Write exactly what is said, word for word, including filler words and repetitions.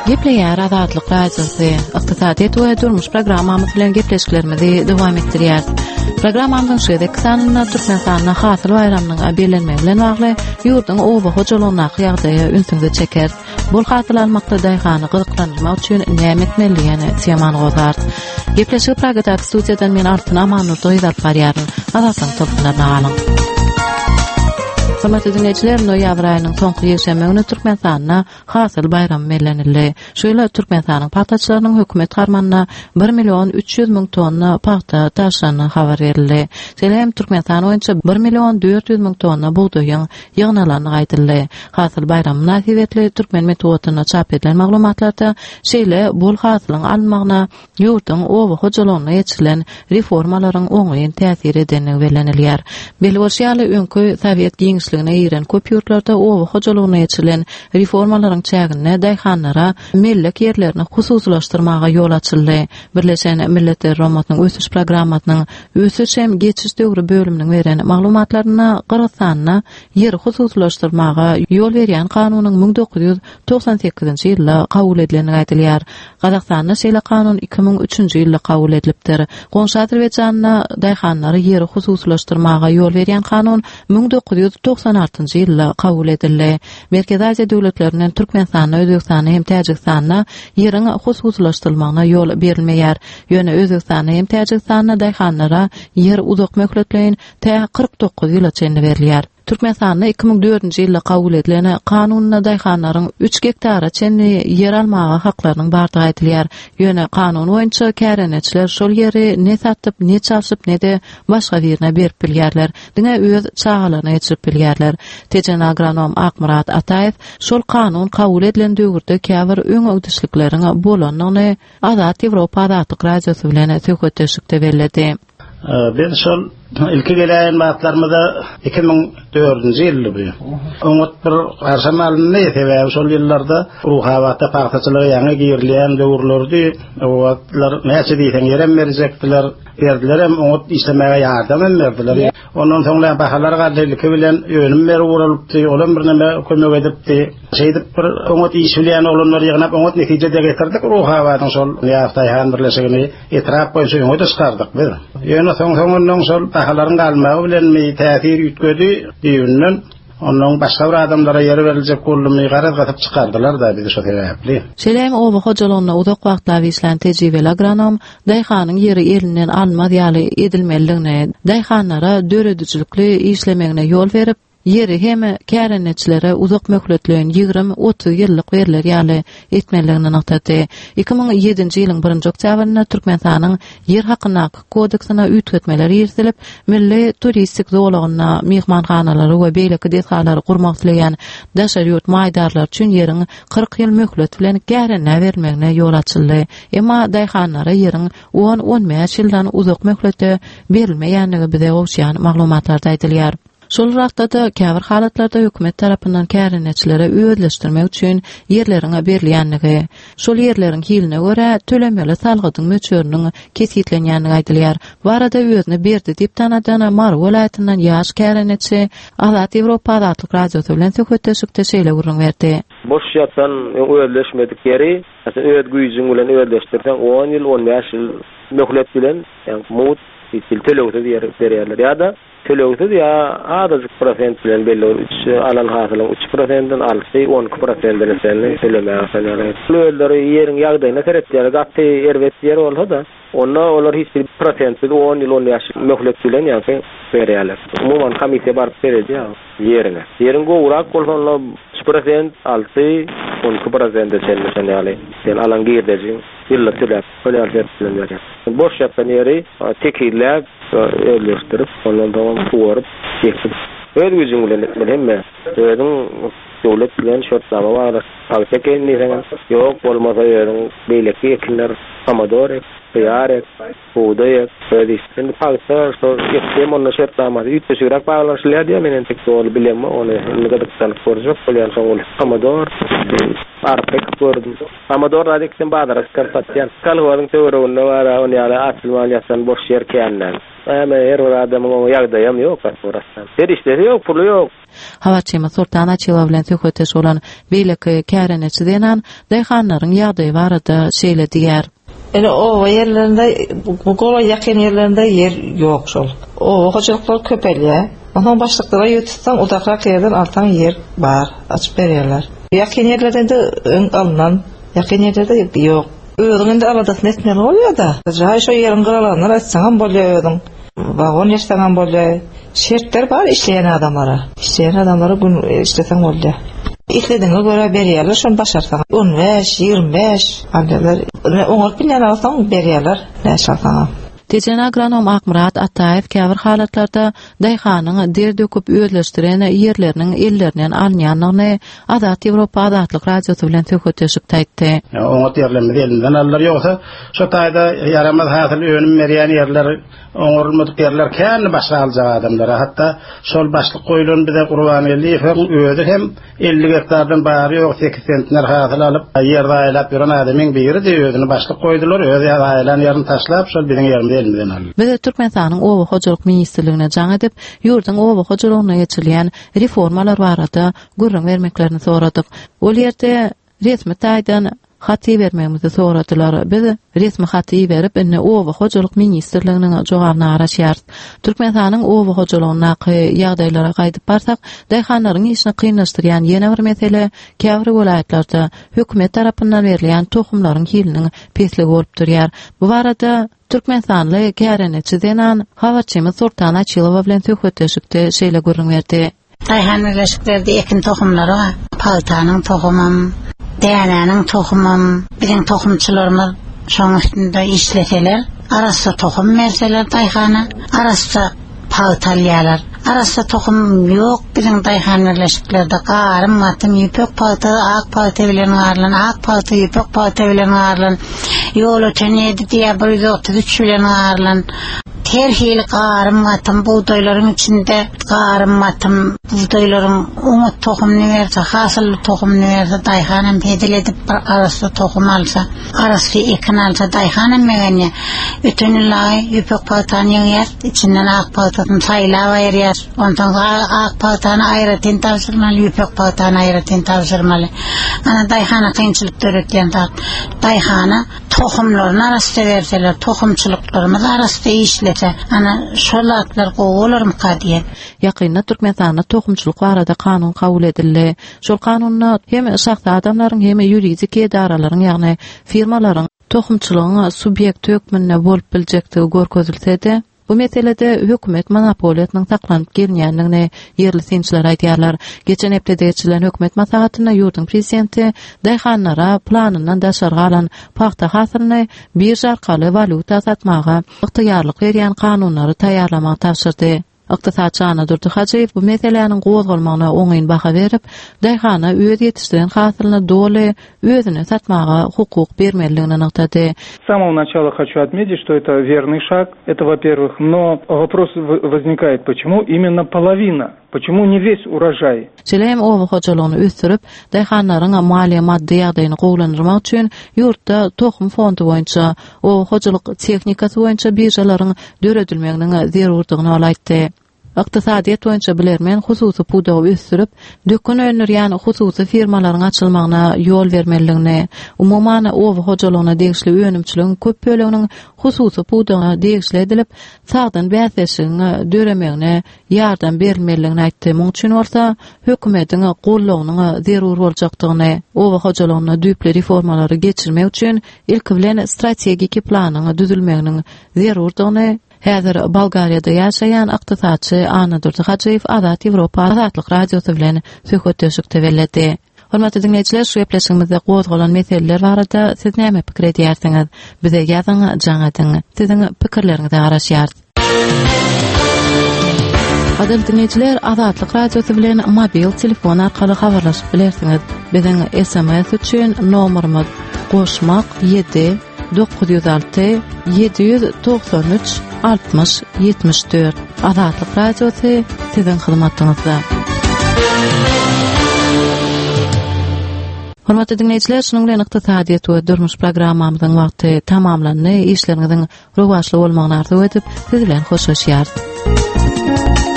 Gepleýär Azatlyk Radiosy. Ykdysadyýet we durmuş programmamyz bilen gepleşiklerimizi dowam etdirýäris. Programmamyzyň şu gezekki sanynda Türkmenistanda hasyl baýramynyň bellenmegi bilen bagly ýurduň oba hojalygyndaky ýagdaýa ünsüňizi çekeris. Bol hasyl almakda daýhany gyzyklandyrmak üçin näme etmeli diýen temany gozgarys. Gepleşigi Pragadaky studiýadan men Altyn Amanurdy alyp barýaryn. Azatlygyň tolkunlaryna galyň. Hormatly dinleýjiler, noýabr aýynyň soňky ýekşenbe güni Türkmenistanda hasyl baýramy bellenildi. Şu ýyl Türkmenistanyň pagtaçylarynyň hökümet harmanyna bir million üç ýüz müň tonna pagta tabşyrandygy habar berildi. Şeýle hem Türkmenistan boýunça bir million dört ýüz müň tonna bugdaýyň ýygnalandygy aýdyldy. Hasyl baýramy mynasybetli türkmen metbugatynda çap edilen maglumatlarda şeýle bol hasylyň alynmagyna ýurduň oba hojalygynda geçirilen reformalaryň oňyn täsir edendigi bellenilýär. Belli bolşy ýaly, öňki sowet giňişligine giren köp ýurtlarda oba hojalygynda geçirilen reformalaryň çäginde daýhanlara mellek ýerlerini hususylaşdyrmaga ýol açyldy. Birleşen Milletler Guramasynyň ösüş programmasynyň ösüş hem geçiş döwri bölüminiň beren maglumatlarynda Gyrgyzystanda ýeri hususylaşdyrmaga ýol berýän kanunyň müň dokuz ýüz togsan sekizinji ýylda kabul edilendigi aýdylýar. Gazagystanda şeýle kanun iki müň üçünji ýylda kabul edilipdir. Goňşy Azerbaýjanda daýhanlary ýeri hususylaşdyrmaga ýol berýän kanun müň dokuz ýüz togsan altynjy ýylda kabul edildi. Merkezi Aziýa döwletlerinden Türkmenistanda, Özbegistanda hem Täjigistanda ýeriň hususylaşdyrylmagyna ýol berilmeýär. Ýöne Özbegistanda hem Täjigistanda daýhanlara ýer uzak möhletleýin tä kyrk dokuz ýyla çenli berilýär. Türkmenistanda iki müň dördünji ýylda kabul edilen kanunda daýhanlaryň üç gektara çenli ýer almaga haklarynyň bardygy aýdylýar. Ýöne kanun boýunça kärendeçiler şol ýeri ne satyp, ne çalşyp, ne-de başga birine berip bilýärler. Diňe öz çagalaryna geçirip bilýärler. Tejen agronom Akmyrat Ataýew şol kanun kabul edilen döwürde käbir öňegidişlikleriň bolandygyny Azat Ýewropa Azatlyk Radiosy bilen söhbetdeşlikde belledi. Ee, biz şol ilki gelen wagtlarymyzda iki müň dördünji ýyldy bu. Oňat bir garşam alyndy, sebäbi şol ýyllarda Ruhabatda pagtaçylyga ýaňy girilýän döwürlerdi. O wagtlar näçe diýseň ýerem berjekdiler, berdilerem, oňat işlemäge ýardam hem berdiler. Ondan soňra bahalar galdy, ilki bilen önüm berip ugralypdy, olam bir näme kömek edipdi. Şeýdip bir oňat iş bilýän oglanlar ýygnap oňat netije de getirdik. Ruhabadyň şol Nyýaz Daýhan birleşigini etrap boýunça öňe de çykardyk biz. Ýöne soň soňundan şol bahalaryň galmagy bilen mi täsir üýtgedi düýbünden. Ondan başga bir adamlara ýer beriljek boldumy, garaz gatyp çykardylar da bizi şo sebäpli. Şeýle hem oba hojalygynda uzak wagtlap işlän tejribeli agronom daýhanyň ýeri elinden almaz ýaly edilmelidigini, daýhanlara döredijilikli işlemegine ýol berip, ýeri hem kärendeçilere uzak möhletleýin ýigrimi otuz ýyllyk berler ýaly etmelidigini nygtady. Iki müň ýedinji ýylyň birinji oktýabrynda Türkmenistanyň ýer hakyndaky kodeksine üýtgetmeler girizilip, milli turistik zolagynda myhmanhanalary we beýleki desgalary gurmak isleýän daşary ýurt maýdarlar üçin ýeriň kyrk ýyl möhlet bilen kärendä berilmegine ýol açyldy. Emma daýhanlara ýeriň on on bäş ýyldan uzak möhletde berilmeýändigi bize gowuşýan maglumatlarda aýdylýar. Şol wagtda-da käbir halatlarda hökümet tarapyndan kärendeçilere özleşdirmek üçin ýerleriň berilýändigi, şol ýerleriň hiline görä tölemeli salgydyň möçberiniň kesgitlenýändigi aýdylýar. Bu arada özüni Berdi diýip tanadan Mary welaýatyndan ýaş kärendeçi Azat Ýewropa Azatlyk Radiosy bilen söhbetdeşlikde şeýle gürrüň berdi. Boş ýatan özleşmedik ýeri, mesela öz güýjüň bilen özleşdirseň on ýyl, on bäş ýyl möhlet bilen, ýagny mut hiç ýyl tölegsiz ýer berýärler ýa-da tölegsiz ýa azajyk prosent bilen belli bir üç alan hasylyň üç prosentinden alty, on iki prosentine çenli tölemäge sanýarlar. Özleri ýeriň ýagdaýyna seretýärler. Gaty erbet ýer bolsa-da, onda olar hiç bir prosentsiz on ýyl, on bäş ýyl möhlet bilen ýagny berýärler. Umuman komissiýa baryp seredýär ýerine. Ýeriň gowrak bolsa onda üç prosent, alty, on iki prosente çenli sanýarlar. Sen alan girdejiň ýyllyk töläp, bolýar şert bilen berýär. Boş ýatan ýeri tekizläp, özleşdirip, ondan soň suwaryp, ekip, öz güýjüň bilen etmeli hemme. Özüň döwlet bilen şertnama baglaşyp, pagta ekeýin diýseň, ýok bolmasa özüň beýleki ekinler, pomidor ek, hyýar ek, bugdaý ek, öz iş. Indi pagta şo ekseň onda şertnamasy üýtgeşigräk baglaşylýar diýýär, men entek doly bilemok, ony indi gyzyklanyp görjek bolýan soň ol pomidor, arpa ekip gördüm. Pomidor zat eksem bazara çykaryp satýan. Kolhozyň töwereginde bar, ony ýaly açylman ýatan boş ýer känler. Äme her bir adamyň oňa ýagdaýam ýok orasdan. Serişdesi ýok, puly ýok. Habarçymyz Sultan Açylowa bilen söhbetdeş bolan beýleki kärendeçi zenan daýhanlaryň ýagdaýy barada şeýle diýär. Ene oba ýerlerinde, bu gola ýakyn ýerlerinde ýer ýok şol. Oba hojalyklar köpelýär. Ondan başlyklara ýer tutsaň, uzakrak ýerden alsaň ýer bar, açyp berýärler. Ýakyn ýerlerden de öň alynan, ýakyn ýerlerde ýok. Özüň indi aladasyny etmeli bolýar da. Jaý şo ýeriň gyralaryndan açsaň bolýar özüň. Vagon ýerseň bolýar. Şertler bar işleýän adamlara. Işleýän adamlara gün işleseň bolýar. Islediğine göre berýärler, şony başarsaň. on bäş, ýigrimi bäş alýarlar. Oňaryp bilýän alsaň berýärler, näçe alsaň. Tejen agronom Akmyrat Ataýew käbir halatlarda daýhanyň der döküp özleşdiren ýerleriniň ellerinden alynýandygyny Azat Ýewropa Azatlyk Radiosy bilen söhbetdeşlik aýtdy. Oňat ýerlerimiz elinden aldylar, ýogsa şu taýda ýaramaz hasyl önüm berýän ýerler, oňarylmadyk ýerler känli başga aljak adamlara. Hatda şol başlyk goýlan bize Gurbangeldiýewiň özi hem elli gektardan bary ýok sekiz sentner hasyl alyp, ýer zaýalap ýören adamyň biri-de özüni başlyk goýdular, öz zaýalan ýerini taşlap, şol biziň ýerimizi elimizden aldy. Biz Türkmenistanyň Oba hojalyk ministrligine jaň edip, ýurduň oba hojalygyna geçirilýän reformalar barada gürrüň bermeklerini soradyk. Ol ýerde resmi taýdan haty bermegimizi soradylar. Biz resmi haty berip, indi Oba hojalyk ministrliginiň jogabyna garaşýarys. Türkmenistanyň oba hojalygyndaky ýagdaýlara gaýdyp barsak, daýhanlaryň işini kynlaşdyrýan ýene bir mesele käbir welaýatlarda hökümet tarapyndan berilýän tohumlaryň hiliniň pesligi bolup durýar. Bu barada Türkmenistanly kärendeçi zenan habarçymyz Sultan Açylowa bilen söhbetdeşlikde şeýle gürrüň berdi. Daýhan birleşiklerde ekin tohumlary bar. Paltanyň tohumam, dänäniň tohumam, biziň tohumçylarymyz şoň üstünde işleseler, arassa tohum berseler daýhana, arassa palta alýarlar. Arassa tohum ýok biziň daýhan birleşiklerde. Garym, gatym, ýüpek palta, ak palta bilen garylan, ak palta, ýüpek palta bilen garylan, ýol öten ýedi diýe bir ýüz otuz üç bilen garylan. Her hili garym, gatym buğdaylaryň içinde garym, gatym buğdaylaryň oňat tohumunu berse, hasylly tohumunu berse, daýhanam hedil edip bir arassa tohum alsa, arassa ekin alsa, daýhanam begenýär. Öten ýyl aý ýüpek paltany ýygýar, içinden ak paltasyny saýlap aýyrýar. Ondan soň ak paltany aýratyn tabşyrmaly, ýüpek paltany aýratyn tabşyrmaly. Ana daýhana kynçylyk döretýän zat. Daýhana tohumlaryny arassa berseler, tohumçylyklarymyz arassa işlese, ana şol zatlar gowy bolarmyka diýen. Ýakynda Türkmenistanda tohumçylyk barada kanun kabul edildi. Şol kanunda hem şahsy adamlaryň hem ýuridik edaralaryň, ýagny firmalaryň tohumçylygyň subýekti hökmünde bolup biljekdigi görkezilse-de, bu meselede hökümet monopoliýasynyň saklanyp gelinýändigini ýerli synçylar aýdýarlar. Geçen hepdede geçirilen hökümet maslahatynda ýurduň prezidenti daýhanlara planyndan daşary galan pagta hasylyny birja arkaly walýuta satmaga ygtyýarlyk berýän kanunlary taýýarlamagy tabşyrdy. Ykdysatçy Annadurdy Hajyýew bu meseläniň gozgalmagyna oňyn baha berip, daýhana öz ýetişdiren hasylyny doly özüne satmaga hukuk bermelidigini nygtady. С самого начала хочу отметить, что это верный шаг, это во-первых, но вопрос в-, возникает, почему именно половина? Почему не весь урожай? Şeýle hem oba hojalygyny ösdürip, daýhanlaryň maliýe maddy ýagdaýyny gowulandyrmak üçin ýurtda tohum fondy boýunça, oba hojalyk tehnikasy boýunça birjalaryň döredilmeginiň zerurdygyny ol aýtdy. Ykdysadyýet boýunça bilermen hususy pudagy ösdürip, dökün öndürýän hususy firmalaryň açylmagyna ýol bermelidigini, umuman oba hojalygyna degişli önümçiligiň köp böleginiň hususy pudagyna degişli edilip, sagdyn bäsleşigiň döremegine ýardam berilmelidigini aýtdy. Muň üçin bolsa hökümetiň goldawynyň zerur boljakdygyny, oba hojalygyna düýpli reformalary geçirmek üçin ilki bilen strategik planyň düzülmeginiň zerurdygyny häzir Bolgariýada ýaşaýan ykdysatçy Annadurdy Hajyýew Azat Ýewropa Azatlyk Radiosy bilen söhbetdeşlikde belledi. Hormatly diňleýjiler, şu gepleşigimizde gozgalan meseleler barada siz näme pikir edýärsiňiz? Bize ýazyň, jaň ediň. Siziň pikirleriňize garaşýarys. Gadyrly diňleýjiler, Azatlyk Radiosy bilen mobil telefon arkaly habarlaşyp bilersiňiz. Biziň S M S üçin nomerimiz goşmak ýedi dokuz ýüz alty ýedi ýüz togsan üç altmyş ýetmiş dört. Azatlyk Radiosy siziň hyzmatyňyzda. Hormatly dinleýjiler, şunuň bilen ykdysadyýet we durmuş programmamyzyň wagty tamamlandy. Işleriňiziň rowaçly bolmagyny arzuw edip, siz bilen hoşlaşýarys.